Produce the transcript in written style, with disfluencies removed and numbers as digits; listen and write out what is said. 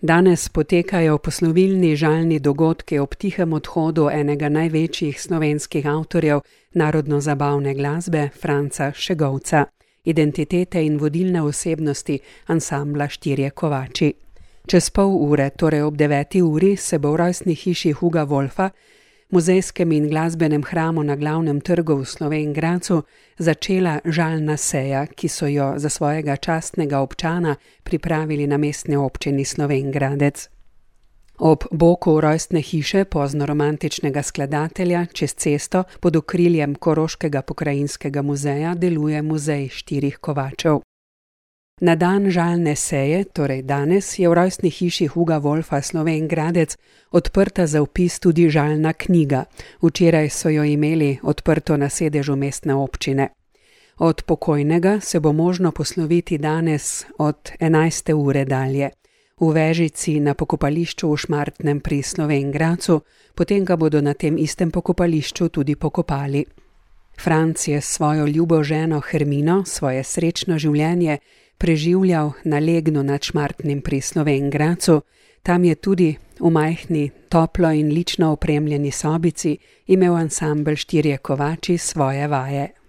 Danes potekajo poslovilni žalni dogodki ob tihem odhodu enega največjih slovenskih avtorjev narodno-zabavne glasbe, Franca Šegovca, identitete in vodilne osebnosti ansambla Štirje kovači. Čez pol ure, torej ob 9. uri, se bo v rojstni hiši Huga Wolfa, muzejskem in glasbenem hramu na glavnem trgu v Slovenj Gradcu, začela žalna seja, ki so jo za svojega častnega občana pripravili na mestni občini Slovenj Gradec. Ob boku rojstne hiše poznoromantičnega skladatelja čez cesto pod okriljem Koroškega pokrajinskega muzeja deluje muzej Štirih kovačev. Na dan žalne seje, torej danes, je v rojstni hiši Huga Wolfa Slovenj Gradec odprta za vpis tudi žalna knjiga. Včeraj so jo imeli odprto na sedežu mestne občine. Od pokojnega se bo možno posloviti danes od 11. ure dalje. V Vežici na pokopališču v Šmartnem pri Slovenj Gradcu, potem ga bodo na tem istem pokopališču tudi pokopali. Franc je s svojo ljubo ženo Hermino svoje srečno življenje preživljal na Legnu nad Šmartnim pri Slovenj Gradcu. Tam je tudi v majhni, toplo in lično opremljeni sobici imel ansambel Štirje kovači svoje vaje.